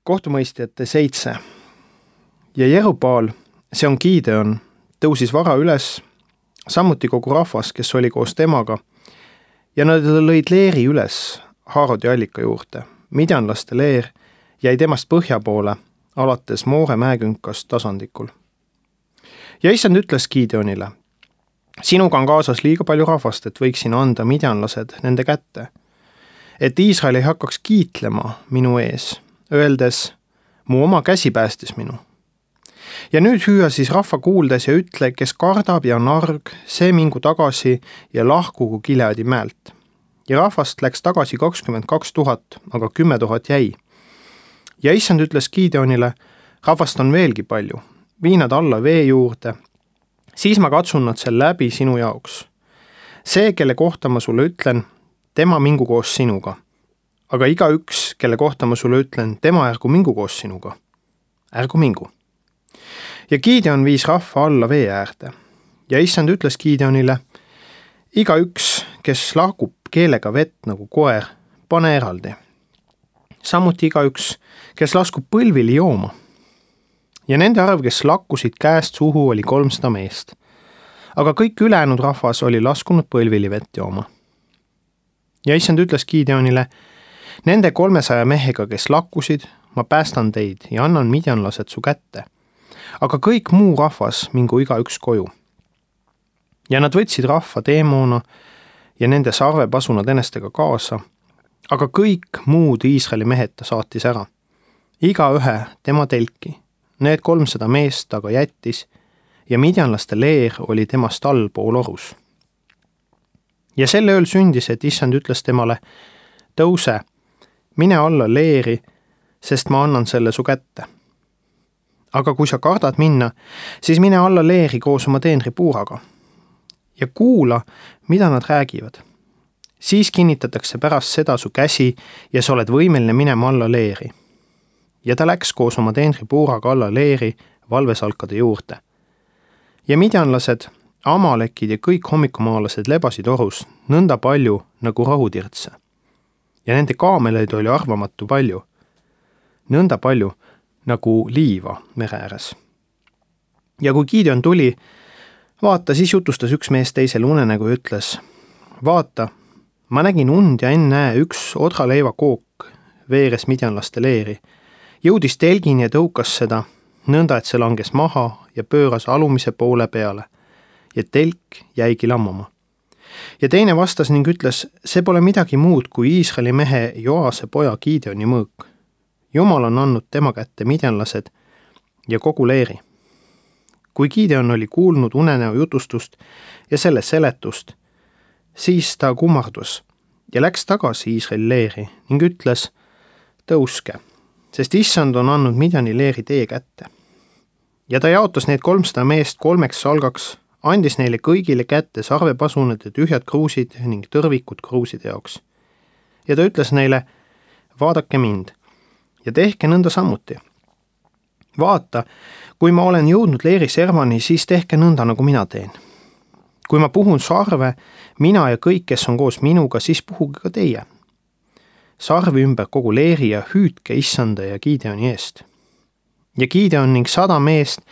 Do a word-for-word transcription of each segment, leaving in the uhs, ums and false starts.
Kohtumõistjate seitse. Ja Jerubaal, see on Gideon, tõusis vara üles, samuti kogu rahvas, kes oli koos temaga, ja nad lõid leeri üles Haarodi allika juurde. Midjanlaste leer jäi temast põhja poole, alates Moore mäekünkast tasandikul. Ja issand ütles Gideonile, sinuga on kaasas liiga palju rahvast, et võiksin anda midjanlased nende kätte, et Iisrael ei hakkaks kiitlema minu ees, öeldes, mu oma käsi päästis minu. Ja nüüd hüüa siis rahva kuuldes ja ütle, kes kardab ja on arg, see mingu tagasi ja lahkugu Gileadi mäelt. Ja rahvast läks tagasi kakskümmend kaks tuhat, aga kümme tuhat jäi. Ja issand ütles Gideonile, rahvast on veelgi palju, vii nad alla vee juurde, siis ma katsun nad seal läbi sinu jaoks. See, kelle kohta ma sulle ütlen, tema mingu koos sinuga. Aga iga üks, kelle kohta ma sulle ütlen, tema ärgu mingu koos sinuga. Ärgu mingu. Ja Gideon viis rahva alla vee äärde. Ja issand ütles Gideonile, iga üks, kes lahkub keelega vett nagu koer, pane eraldi. Samuti iga üks, kes laskub põlvili jooma. Ja nende arv, kes lakkusid käest suhu, oli kolmsada meest. Aga kõik ülejäänud rahvas oli laskunud põlvili vett jooma. Ja issand ütles Gideonile, nende kolmesaja mehega, kes lakkusid, ma päästan teid ja annan midjanlased su kätte. Aga kõik muu rahvas mingu iga üks koju. Ja nad võtsid rahva teemoona ja nende sarvepasunad enestega kaasa, aga kõik muud Iisraeli mehed ta saatis ära. Iga ühe tema telki, need kolmsada meest aga jättis ja midjanlaste leer oli temast allpool orus. Ja selle ööl sündis, et issand ütles temale, tõuse, mine alla leeri, sest ma annan selle su kätte. Aga kui sa kardad minna, siis mine alla leeri koos oma teenri puuraga. Ja kuula, mida nad räägivad. Siis kinnitatakse pärast seda su käsi ja sa oled võimeline minema alla leeri. Ja ta läks koos oma teenri puuraga alla leeri valvesalkade juurde. Ja midjanlased, amalekid ja kõik hommikumaalased lebasid orus nõnda palju nagu rahutirtse. Ja nende kaameleid oli arvamatu palju, nõnda palju nagu liiva mere ääres. Ja kui Gideon tuli, vaata, siis jutustas üks mees teisele unenägu ja ütles, vaata, ma nägin und ja enne üks odraleiva kook veeres midjanlaste leeri, jõudis telgini ja tõukas seda, nõnda, et see langes maha ja pööras alumise poole peale, ja telk jäigi lammama. Ja teine vastas ning ütles, see pole midagi muud kui Iisraeli mehe Joase poja Gideoni mõõk. Jumal on andnud tema kätte midjanlased ja kogu leeri. Kui Gideon oli kuulnud unenäo jutustust ja selle seletust, siis ta kummardus ja läks tagasi Iisraeli leeri ning ütles, tõuske, sest issand on andnud Midjani leeri teie kätte. Ja ta jaotas need kolmsada meest kolmeks salgaks, andis neile kõigile kätte sarvepasunad ja tühjad kruusid ning tõrvikud kruuside jaoks. Ja ta ütles neile, vaadake mind ja tehke nõnda samuti. Vaata, kui ma olen jõudnud leeri servani, siis tehke nõnda, nagu mina teen. Kui ma puhun sarve, mina ja kõik, kes on koos minuga, siis puhuge ka teie. Sarvi ümber kogu leeri ja hüüdke issanda ja Gideoni eest. Ja Gideon ning sada meest,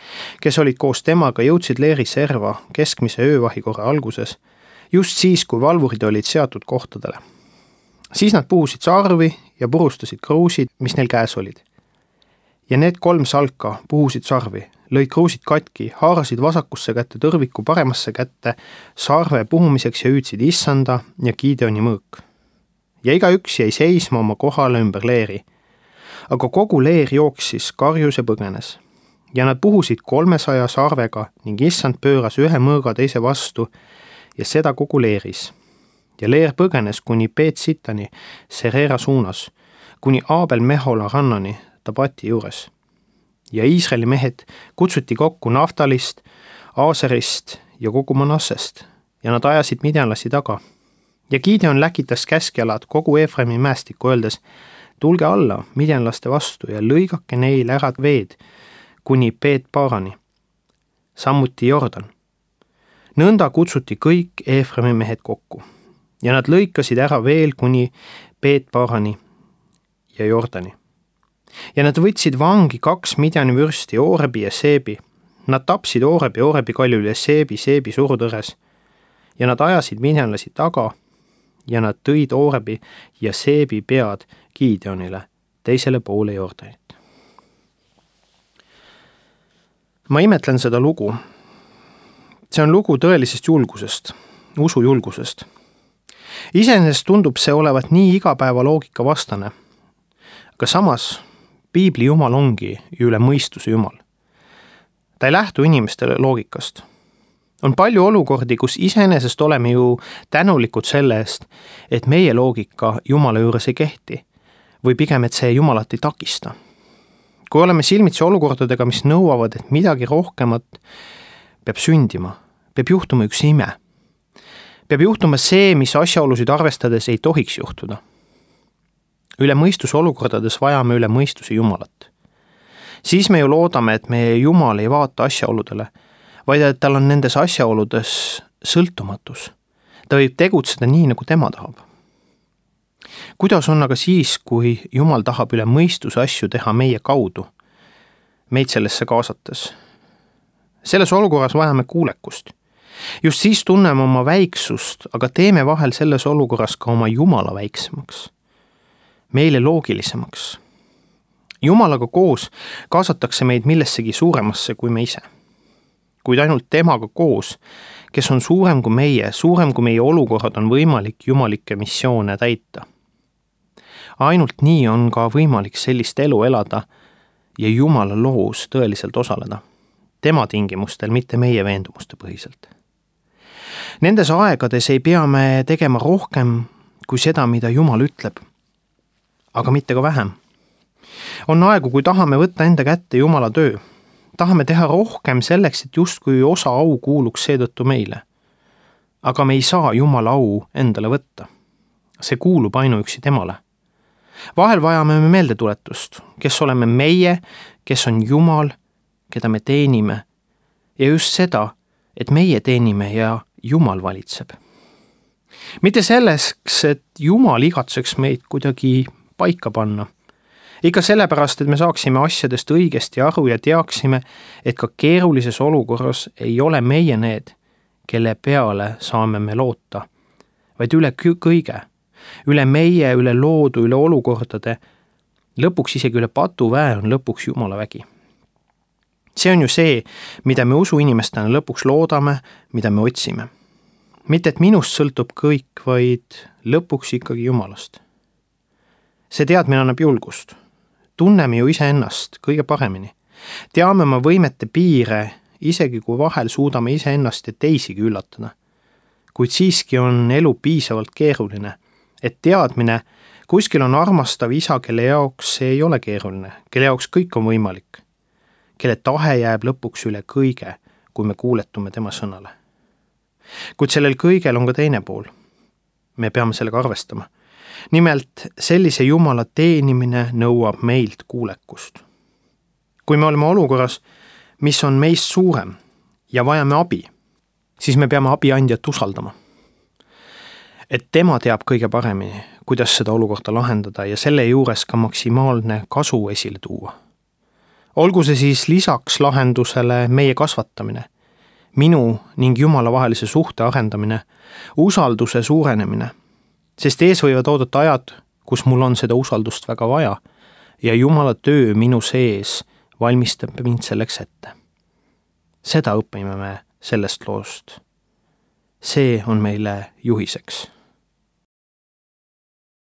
kes olid koos temaga, jõudsid leeri serva keskmise öövahikorra alguses, just siis, kui valvurid olid seatud kohtadele. Siis nad puhusid sarvi ja purustasid kruusid, mis neil käes olid. Ja need kolm salka puhusid sarvi, lõid kruusid katki, haarasid vasakusse kätte tõrviku paremasse kätte sarve puhumiseks ja hüüdsid issanda ja Gideoni mõõk. Ja iga üks jäi seisma oma kohale ümber leeri. Aga kogu leer jooksis, karjus ja põgenes. Ja nad puhusid kolmesaja sarvega ning issand pööras ühe mõõga teise vastu ja seda kogu leeris. Ja leer põgenes kuni Peet-Sitani Serera suunas, kuni Aabel Mehola rannani Tabati juures. Ja Iisraeli mehed kutsuti kokku Naftalist, Aaserist ja kogu Manassest ja nad ajasid midjanlasi taga. Ja Gideon läkitas käskjalad kogu Efremi mäestikku öeldes, tulge alla midjanlaste vastu ja lõigake neil ära veed kuni Peet-Paarani, samuti Jordan. Nõnda kutsuti kõik Efremi mehed kokku ja nad lõikasid ära veel kuni Peet-Paarani ja Jordani. ja nad võtsid vangi kaks Midjani vürsti, Oorebi ja Seebi. Nad tapsid Oorebi, Oorebi kaljul ja Seebi, Seebi surutõres ja nad ajasid midjanlasi taga ja nad tõid Oorebi ja Seebi pead Gideonile teisele poole Jordanit. Ma imetlen seda lugu. See on lugu tõelisest julgusest, usujulgusest. Iseenesest tundub see olevat nii igapäeva loogika vastane, aga samas Piibli Jumal ongi üle mõistuse Jumal. Ta ei lähtu inimestele loogikast. On palju olukordi, kus iseenesest oleme ju tänulikud selle eest, et meie loogika Jumala juures ei kehti või pigem, et see Jumalat ei takista. Kui oleme silmitsi olukordadega, mis nõuavad, et midagi rohkemat peab sündima, peab juhtuma üks ime. Peab juhtuma see, mis asjaolusid arvestades ei tohiks juhtuda. Üle mõistuse olukordades vajame üle mõistuse Jumalat. Siis me ju loodame, et meie Jumal ei vaata asjaoludele, vaid et tal on nendes asjaoludes sõltumatus. Ta võib tegutseda nii, nagu tema tahab. Kuidas on aga siis, kui Jumal tahab üle mõistuse asju teha meie kaudu, meid sellesse kaasates? Selles olukorras vajame kuulekust. Just siis tunneme oma väiksust, aga teeme vahel selles olukorras ka oma Jumala väiksemaks, meile loogilisemaks. Jumalaga koos kaasatakse meid millessegi suuremasse kui me ise. Kuid ainult temaga koos, kes on suurem kui meie, suurem kui meie olukorrad, on võimalik jumalikke missioone täita. Ainult nii on ka võimalik sellist elu elada ja Jumala loos tõeliselt osaleda. Tema tingimustel, mitte meie veendumuste põhiselt. Nendes aegades ei pea me tegema rohkem kui seda, mida Jumal ütleb, aga mitte ka vähem. On aegu, kui tahame võtta enda kätte Jumala töö. Tahame teha rohkem selleks, et justkui osa au kuuluks seetõttu meile. Aga me ei saa Jumala au endale võtta. See kuulub ainuüksi temale. Vahel vajame me meeldetuletust, kes oleme meie, kes on Jumal, keda me teenime, ja just seda, et meie teenime ja Jumal valitseb. Mitte selleks, et Jumal igatseks meid kuidagi paika panna. Ikka sellepärast, et me saaksime asjadest õigesti aru ja teaksime, et ka keerulises olukorras ei ole meie need, kelle peale saame me loota, vaid üle kõige, üle meie, üle loodu, üle olukordade, lõpuks isegi üle patuväe on lõpuks Jumala vägi. See on ju see, mida me usuinimestena lõpuks loodame, mida me otsime. Mitte, et minust sõltub kõik, vaid lõpuks ikkagi Jumalast. See teadmine annab julgust. Tunneme ju iseennast kõige paremini. Teame oma võimete piire, isegi kui vahel suudame iseennast ja teisigi üllatada. Kuid siiski on elu piisavalt keeruline, et teadmine, kuskil on armastav isa, kelle jaoks see ei ole keeruline, kelle jaoks kõik on võimalik, kelle tahe jääb lõpuks üle kõige, kui me kuuletume tema sõnale. Kuid sellel kõigel on ka teine pool. Me peame sellega arvestama. Nimelt, sellise Jumala teenimine nõuab meilt kuulekust. Kui me oleme olukorras, mis on meist suurem ja vajame abi, siis me peame abiandjat usaldama. Et tema teab kõige paremini, kuidas seda olukorda lahendada ja selle juures ka maksimaalne kasu esile tuua. Olgu see siis lisaks lahendusele meie kasvatamine, minu ning Jumala vahelise suhte arendamine, usalduse suurenemine, sest ees võivad oodata ajad, kus mul on seda usaldust väga vaja ja Jumala töö minu sees valmistab mind selleks ette. Seda õpime me sellest loost. See on meile juhiseks.